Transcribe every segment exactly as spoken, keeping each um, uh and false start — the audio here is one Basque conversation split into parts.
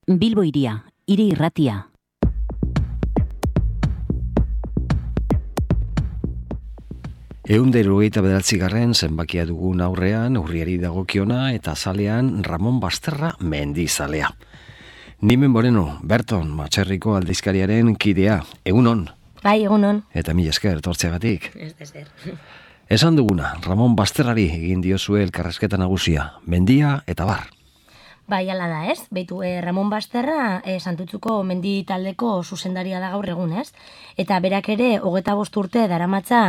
Bilbo Hiria, hiri irratia. Ehun eta hirurogeita bederatzigarren zenbakia dugun aurrean, urriari dagokiona eta zalean Ramon Basterra mendizalea. Nimen Moreno, Berton, Matxerriko aldizkariaren kidea, egunon. Bai, egunon. Eta mila esker, tortzeagatik. Ez dezer. Esan duguna, Ramon Basterrari egin diozue elkarrezketa nagusia, mendia eta bar. Bai, ala da, ez? Beitu, eh, Ramon Basterra eh, Santutzuko mendi taldeko zuzendaria da gaur egun, ez? Eta berak ere, hogeta bost urte daramatza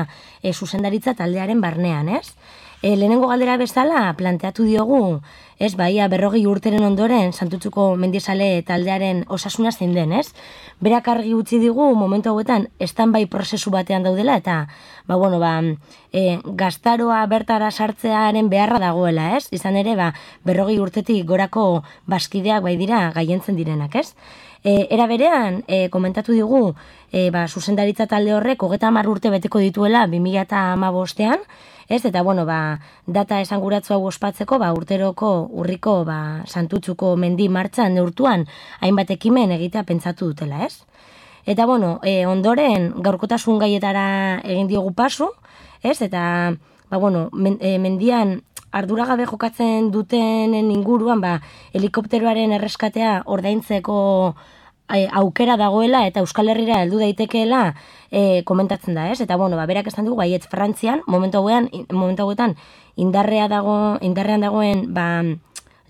eh, zuzendaritza taldearen barnean, ez? E, lehenengo galdera bezala planteatu diogu, ez, baia berrogei urteren ondoren Santutzuko mendizale taldearen osasuna zein den, ez? Berak argi utzi digu momentu hauetan stand-by prozesu batean daudela eta, ba, bueno, ba, e, gaztaroa bertara sartzearen beharra dagoela, ez? Izan ere, ba, berrogei urtetik gorako baskideak bai dira gaientzen direnak, ez? E, era berean, e, komentatu digu, e, ba, zuzendaritza talde horrek hogeta hamar urte beteko dituela bi mila hamabostean, ez, eta, bueno, ba, data esanguratzu hau ospatzeko, ba, urteroko urriko, ba, Santutzuko mendi martxan neurtuan hainbat ekimen egitea pentsatu dutela, ez? Eta, bueno, e, ondoren gaurkotasun gaietara egin diogu pasu, ez? Eta, ba, bueno, men, e, mendian arduragabe jokatzen dutenen inguruan, ba, helikopteroaren erreskatea ordaintzeko e, aukera dagoela eta Euskal Herrira heldu daitekeela e, komentatzen da, ez? Eta, bueno, ba, berak esan dugu, baietz Frantzian, momentu hauean, momentu hauetan, indarrea dago, indarrean dagoen, ba,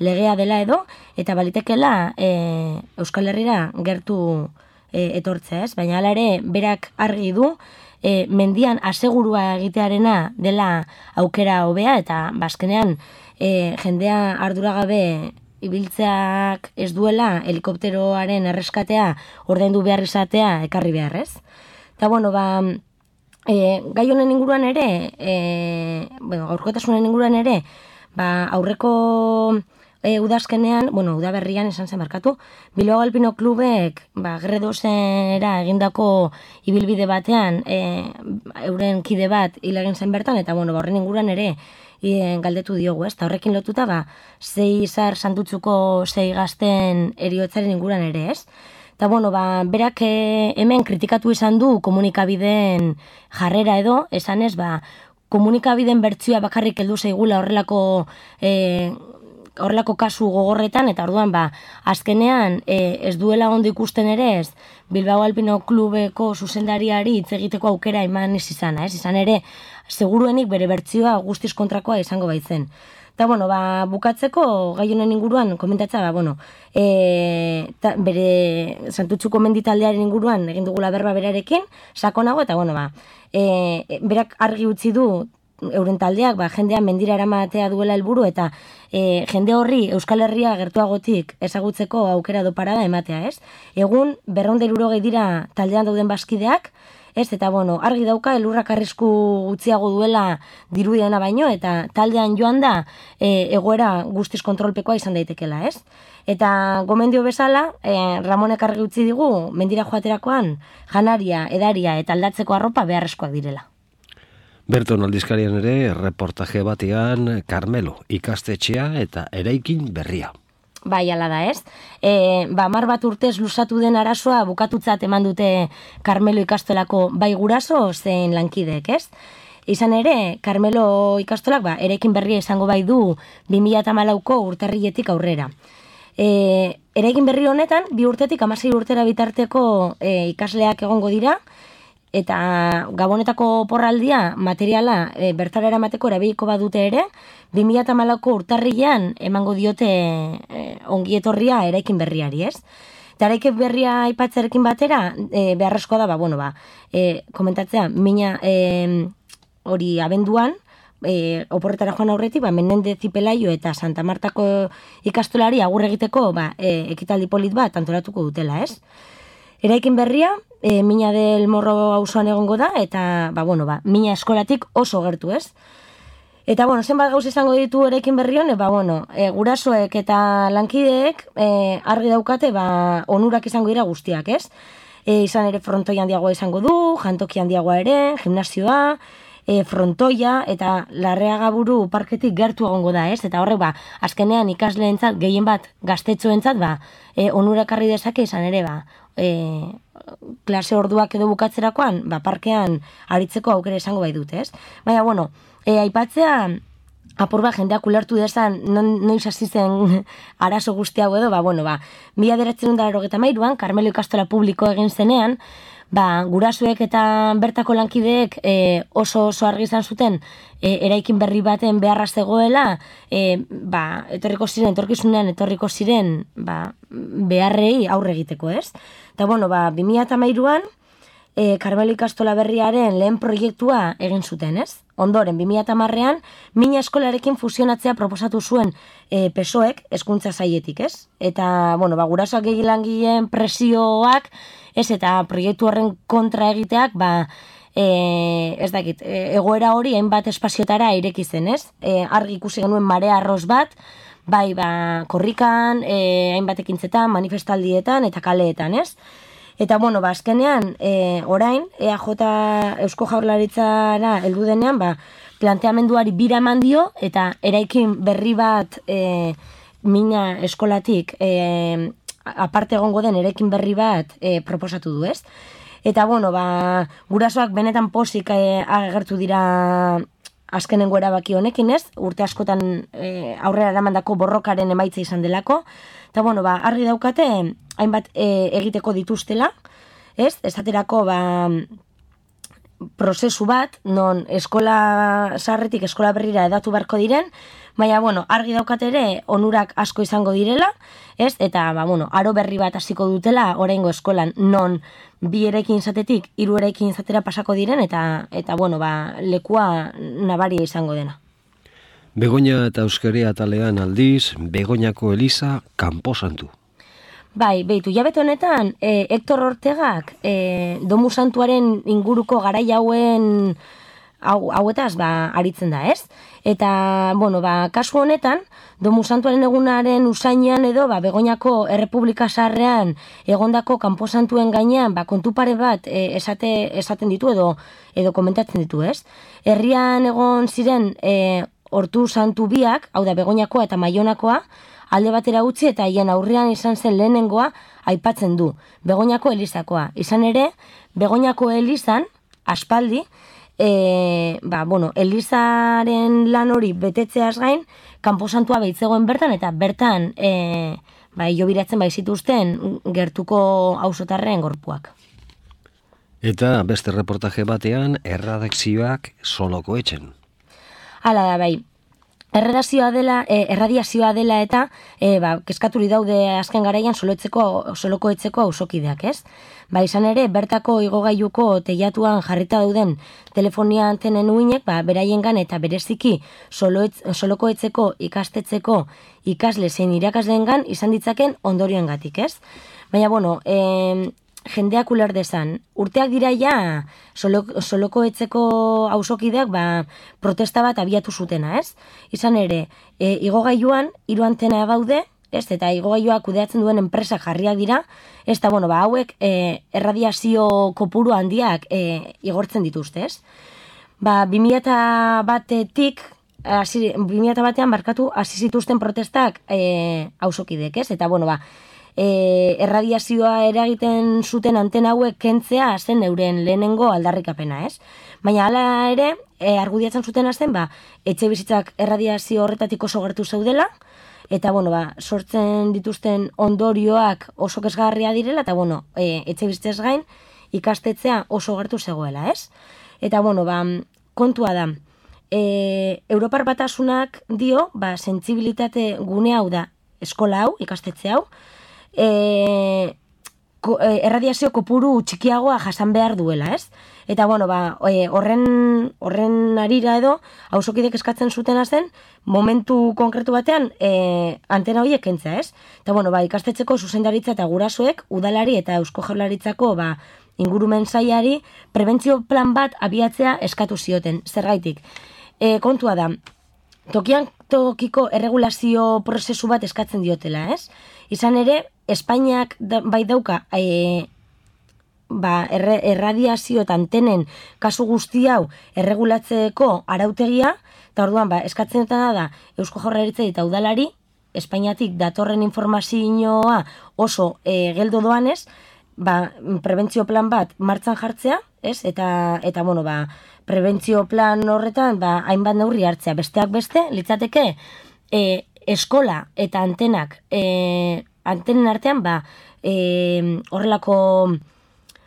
legea dela edo, eta balitekela e, Euskal Herrira gertu e, etortzea, ez? Baina hala ere, berak argi du, e, mendian asegurua egitearena dela aukera hobea, eta bazkenean e, jendea arduragabe ibiltzeak ez duela helikopteroaren erreskatea ordaindu behar izatea ekarri behar, ez? Eta, bueno, ba, e, gai honen inguruan ere, e, bueno, gaurkotasunen inguruan ere, ba, aurreko e, udazkenean, bueno, udaberrian esan zen markatu, Bilbao Alpino Klubek, ba, Gredosera egindako ibilbide batean, e, euren kide bat hil egin zen bertan, eta, bueno, ba, horren inguruan ere, e, galdetu diogu, ez? Ta horrekin lotuta, ba, zei izar Santutzuko zei gazten eriotzaren inguruan ere, ez? Eta, bueno, ba, berak e, hemen kritikatu izan du komunikabideen jarrera edo, esan ez, ba, komunikabideen bertsioa bakarrik heldu zaigula horrelako e, horrelako kasu gogorretan, eta orduan, ba, azkenean e, ez duela ondo ikusten ere ez, Bilbao Alpino Klubeko zuzendariari hitz egiteko aukera eman ez izana, ez? Izan ere, seguruenik bere bertsioa guztiz kontrakoa izango baitzen. Eta, bueno, ba, bukatzeko gai honen inguruan komentatza, ba, bueno, e, ta, bere Santutzuko menditaldearen inguruan egin dugula berba berarekin, sakonago, eta, bueno, ba, e, berak argi utzi du euren taldeak, ba, jendea mendira eramatea duela helburu eta e, jende horri Euskal Herria gertuagotik ezagutzeko aukera do parada ematea, ez? Egun, berrehun eta hirurogei dira taldean dauden baskideak, ez, eta, bueno, argi dauka elurrak arrisku gutxiago duela dirudiena baino, eta taldean joan da e, egoera guztiz kontrolpekoa izan daitekela, ez? Eta gomendio bezala, e, Ramonek argi utzi digu, mendira joaterakoan janaria, edaria eta aldatzeko arropa beharrezkoak direla. Berton aldizkarian ere, reportaje batean Karmelo ikastetxea eta eraikin berria. Bai, ala da, ez? E, ba, mar bat urtez luzatu den arazoa bukatutzat eman dute Karmelo ikastolako bai guraso zein lankideek, ez? Izan ere, Karmelo ikastolak, ba, eraikin berria izango bai du bi mila hamalauko urtarriletik aurrera. E, eraikin berri honetan, bi urtetik hamasei urtera bitarteko e, ikasleak egongo dira, eta Gabonetako porraldia materiala e, bertara eramateko erabiliko badute ere, bi mila hamalauko urtarrilean emango diote e, ongietorria eraikin berriari, ez? Eta eraikin berria aipatzearekin batera, e, beharrezkoa da, ba, bueno, ba, e, komentatzea, mina e, hori abenduan, e, oporretara joan aurretik, ba, Menendez y Pelayo eta Santa Martako ikastolari agur egiteko, ba, e, ekitaldi polit bat antolatuko dutela, ez? Eraikin berria, e, Mina del Morro auzoan egongo da, eta, ba, bueno, ba, Mina eskolatik oso gertu, ez? Eta, bueno, zenbat gauz izango ditu eraikin berri hone, ba, bueno, e, gurasoek eta lankideek e, argi daukate, ba, onurak izango dira guztiak, ez? E, izan ere frontoi handiagoa izango du, jantoki handiagoa ere, gimnasioa, e, frontoia eta Larreagaburu parketik gertu egongo da, ez? Eta horrek, ba, azkenean ikasleentzat, gehien bat gaztetxoentzat, ba, e, onurakarri dezake izan ere, ba, e, klase orduak edo bukatzerakoan, ba, parkean aritzeko aukera izango bai dute, ez? Baina, bueno, e, aipatzea, apur bat jendeak ulertu dezan, non, noiz hasi zen arazo guzti hau edo, ba, bueno, ba, mila bederatziehun eta laurogeita hamairuan, Karmelo ikastola publiko egin zenean, ba, gurasoek eta bertako lankideek e, oso oso argi izan zuten e, eraikin berri baten beharra zegoela, e, ba, etorriko ziren, etorkizunean etorriko ziren, ba, beharrei aurre egiteko, ez? Eta, bueno, ba, bi mila hamairuan, e, Karmelo ikastola berriaren lehen proiektua egin zuten, ez? Ondoren, bi mila hamarrean, mina eskolarekin fusionatzea proposatu zuen e, P S O Ek hezkuntza sailetik, ez? Eta, bueno, ba, gurasoak egin langileen presioak, ez, eta proiektu horren kontra egiteak, ba, e, ez dakit, e, egoera hori hainbat espaziotara ireki zen, ez? E, argi ikusi genuen marea arroz bat, bai, ba, korrikan, e, hainbat ekintzetan, manifestaldietan eta kaleetan, ez? Eta, bueno, ba, azkenean, e, orain, E A J Eusko Jaurlaritzara heldu denean, ba, planteamenduari bira eman dio, eta eraikin berri bat e, mina eskolatik e, aparte egongo den eraikin berri bat e, proposatu du, ez? Eta, bueno, ba, gurasoak benetan pozik e, agertu dira azkenengo erabaki honekin, ez? Urte askotan e, aurrera eramandako borrokaren emaitza izan delako. Eta, bueno, ba, argi daukate, hainbat e, egiteko dituztela, ez? Esaterako, ba, prozesu bat, non eskola sarretik eskola berrira edatu beharko diren, baina, bueno, argi daukate ere onurak asko izango direla, ez? Eta, ba, bueno, aro berri bat hasiko dutela oraingo eskolan, non bi eraikin izatetik hiru eraikin izatera pasako diren, eta, eta bueno, ba, lekua nabaria izango dena. Begoña eta Euskara atalean aldiz, Begoñako Eliza kanposantu. Bai, behitu, jabete honetan, e, Hector Ortegak e, Domu Santuaren inguruko garai hauen hau, hauetaz, ba, aritzen da, ez? Eta, bueno, ba, kasu honetan, Domu Santuaren egunaren usainean edo, ba, Begoñako Errepublika Zaharrean egondako kanposantuen gainean, ba, kontu pare bat e, esate, esaten ditu edo, edo komentatzen ditu, ez? Herrian egon ziren e, Hortu Santu biak, hau da Begoñakoa eta Maionakoa, alde batera utzi eta hien aurrean izan zen lehenengoa aipatzen du, Begoñako Elizakoa. Izan ere, Begoñako Elizan, aspaldi, e, ba, bueno, Elizaren lan hori betetzeaz gain, kanposantua behitzegoen bertan, eta bertan, e, ba, hilobiratzen baizituzten gertuko auzotarren gorpuak. Eta beste reportaje batean, erradakzioak Soloko Etxen. Hala da, bai. Erradazioa dela, eh, erradiazioa dela eta eh, ba, keskaturi daude azken garaian soloetzeko, soloko etzeko auzokideak, ez? Ba, izan ere, bertako igogailuko teilatuan jarrita dauden telefonia antenen uinek, ba, beraiengan eta bereziki soloetz, soloko etzeko ikastetzeko ikasle zein irakasleengan izan ditzaken ondorioengatik, ez? Baina, bueno, eh, jendeak uler dezan. Urteak dira ja soloko, soloko etzeko auzokideak ba, protesta bat abiatu zutena, ez? Izan ere, e, igogailuan hiru antena daude, ez? Eta igogailua kudeatzen duen enpresa jarriak dira, ez da, bueno, ba, hauek e, erradiazio kopuru handiak e, igortzen dituzte, ez? Ba, bi mila batetik, bi mila batean markatu hasi zituzten protestak e, auzokideek, ez? Eta, bueno, ba, E, erradiazioa eragiten zuten antena hauek kentzea zen euren lehenengo aldarrikapena, ez? Baina hala ere, e, argudiatzen zuten zen, ba, etxe bizitzak erradiazio horretatik oso gertu zeudela, eta, bueno, ba, sortzen dituzten ondorioak oso kezgarria direla, eta, bueno, e, etxe bizitzaz gain ikastetzea oso gertu zegoela, ez? Eta, bueno, ba, kontua da, e, Europar Batasunak dio, ba, sentsibilitate gune hau da eskola hau, ikastetxe hau, E, ko, e, erradiazio kopuru txikiagoa jasan behar duela, ez? Eta, bueno, ba, e, horren, horren arira edo, auzokidek eskatzen zutena zen, momentu konkretu batean e, antena horiek kentzea, ez? Eta, bueno, ba, ikastetxeko zuzendaritza eta gurasoek, udalari eta Eusko Jaurlaritzako, ba, ingurumen sailari, prebentzio plan bat abiatzea eskatu zioten, zergaitik. E, kontua da, tokian tokiko erregulazio prozesu bat eskatzen diotela, ez? Izan ere, Espainiak da, bai dauka e, ba, erre, erradiazio eta antenen kasu guzti hau erregulatzeko arautegia, eta orduan, ba, eskatzen dutena da Eusko Jaurlaritzari eta udalari, Espainiatik datorren informazioa oso e, geldo doanez, ba, prebentzio plan bat martxan jartzea, ez? Eta, eta bueno, ba, prebentzio plan horretan, ba, hainbat neurri hartzea. Besteak beste, litzateke, e, eskola eta antenak, e, antenen artean, ba, e, horrelako,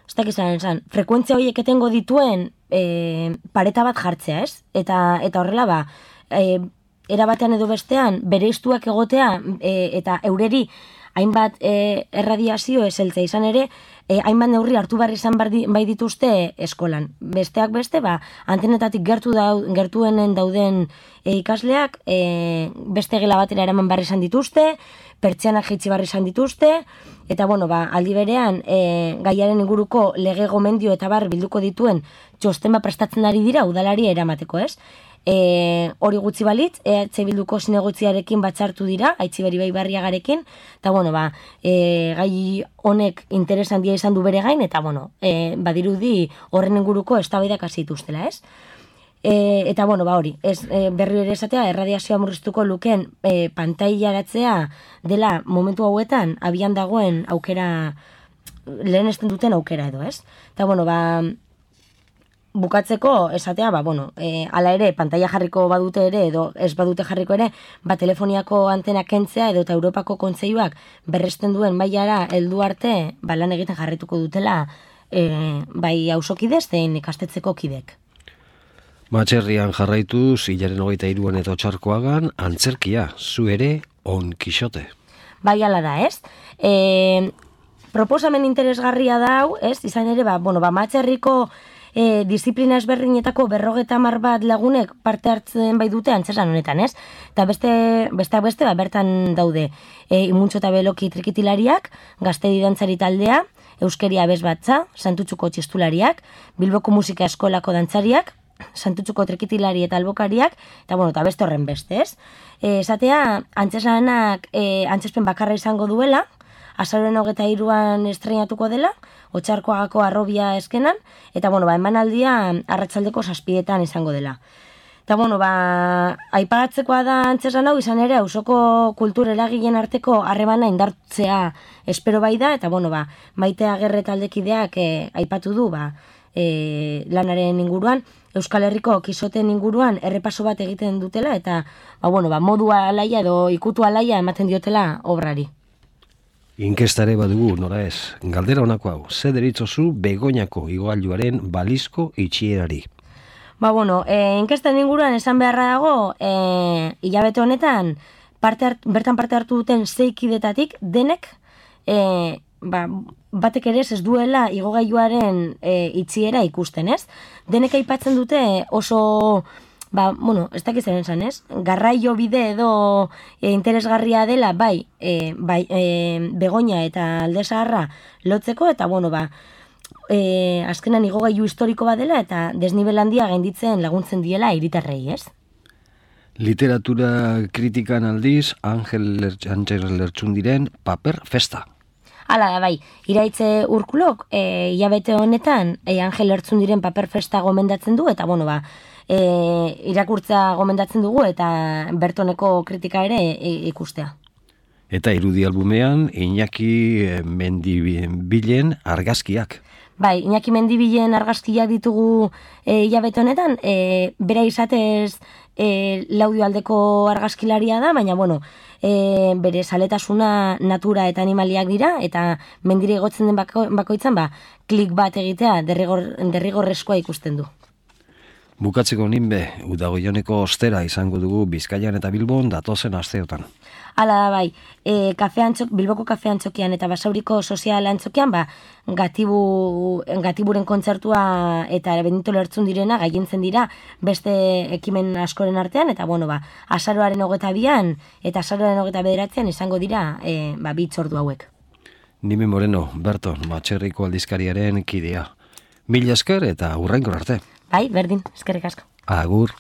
ez dakizan, esan, frekuentzia horiek etengo dituen e, pareta bat jartzea, ez? Eta, eta horrela, ba, e, erabatean edo bestean, bere iztuak egotea e, eta eureri hainbat e, erradiazio eseltzea izan ere, e, hainbat neurri hartu behar izan bai dituzte eskolan. Besteak beste, ba, antenetatik gertu dau, gertuenen dauden e, ikasleak, e, beste gela batera eraman behar izan dituzte, pertsianak jaitsi behar izan dituzte, eta bueno, ba, aldi berean, e, gaiaren inguruko lege gomendio eta bar bilduko dituen txosten bat prestatzen ari dira udalari eramateko, ez? E, hori gutxi balitz, E H Bilduko zinegotziarekin batzartu dira, Aitziber Ibai Barriagarekin, eta bueno, ba, e, gai honek interesan dia izan du bere gain, eta bueno, e, badirudi horren inguruko eztabaidak hasi dituztela, ez? E, eta bueno, ba hori, ez, e, berri ere esatea, erradiazioa murriztuko lukeen e, pantailaratzea dela momentu hauetan abian dagoen aukera, lehen esten duten aukera edo, ez? Eta bueno, ba, bukatzeko esatea, ba, bueno, e, ala ere, pantaila jarriko badute ere, edo ez badute jarriko ere, ba, telefoniako antena kentzea, edo eta Europako Kontseiluak berresten duen mailara heldu arte, ba, lan egiten jarrituko dutela, e, bai hausokide zein ikastetxeko kidek. Matxerrian jarraituz, hilaren hogeita hiruan eta Otxarkoagan, antzerkia, zu ere, on Kixote. Bai, ala da, ez? E, proposamen interesgarria da hau, ez? Izan ere, ba, bueno, ba, Matxerriko E, disiplina ezberdinetako berrogeta hamar bat lagunek parte hartzen bai dute antzezlan honetan, ez? Eta beste, beste, beste, ba, bertan daude e, Imuntxo eta Beloki trikitilariak, Gaztedi dantzari taldea, Euskeria Abez Batza, Santutxuko txistulariak, Bilboko Musika Eskolako dantzariak, Santutxuko trikitilari eta albokariak, eta bueno, eta beste horren beste, ez? E, esatea, antzeslanak e, antzespen bakarra izango duela, azaroren hogeta hiruan estreinatuko dela, Otxarkoagako Arrobia eskenan, eta bueno, ba, emanaldia arratsaldeko zazpietan izango dela. Eta bueno, ba, aipagatzekoa da antzeslan hau izan ere, auzoko kultur eragileen arteko harremana indartzea espero bai da, eta bueno, ba, Maite Agerre taldekideak e, aipatu du, ba, e, lanaren inguruan, Euskal Herriko Kisoten inguruan errepaso bat egiten dutela, eta ba, bueno, ba, modua alaia edo ikutu alaia ematen diotela obrari. Inkestare badugu, nora ez, galdera honako hau, ze deritzozu Begoñako igogailuaren balizko itxierari? Ba, bueno, e, inkesten inguruan esan beharra dago, e, hilabete honetan, parte hart, bertan parte hartu duten zeikidetatik, denek, e, ba, batek ere ez duela igogailuaren e, itxiera ikusten, ez? Denek aipatzen dute oso... Ba, bueno, ez dakitzen esan, ez? Garraio bide edo e, interesgarria dela, bai, e, bai e, Begoña eta Alde Zaharra lotzeko, eta, bueno, ba, e, azkenan igogailu historiko bat dela, eta desnibel handia gainditzen laguntzen diela hiritarrei, ez? Literatura kritikan aldiz, Angel Lertxundiren Paper Festa. Hala da, bai, Iraitze Urkulok, e, hilabete honetan, e, Angel Lertxundiren Paper Festa gomendatzen du, eta, bueno, ba, E, irakurtza gomendatzen dugu eta bertoneko kritika ere e, ikustea. Eta irudi albumean Iñaki Mendibilen argazkiak. Bai, Iñaki Mendibilen argazkiak ditugu e, hilabete honetan, e, bera izatez e, Laudio aldeko argazkilaria da, baina bueno, e, bere zaletasuna natura eta animaliak dira, eta mendire egotzen den bako, bakoitzan, ba, klik bat egitea derrigor, derrigorrezkoa ikusten du. Bukatzeko ninbe, Udagoioneko ostera izango dugu Bizkaian eta Bilbon datozen asteotan. Hala da, bai, e, kafe antxok, Bilboko kafe antxokian eta Basauriko sozial antxokian, ba, gatibu, gatiburen kontzertua eta Benito Lertxundirena gaientzen dira beste ekimen askoren artean, eta bueno, ba, azaroaren hogeta bian eta azaroaren hogeta bederatzean izango dira e, ba, bitzordu hauek. Nime Moreno, Berton, Matxerriko aldizkariaren kidea. Mila esker eta hurrengo arte. Bai, berdin, eskerrik asko. Agur.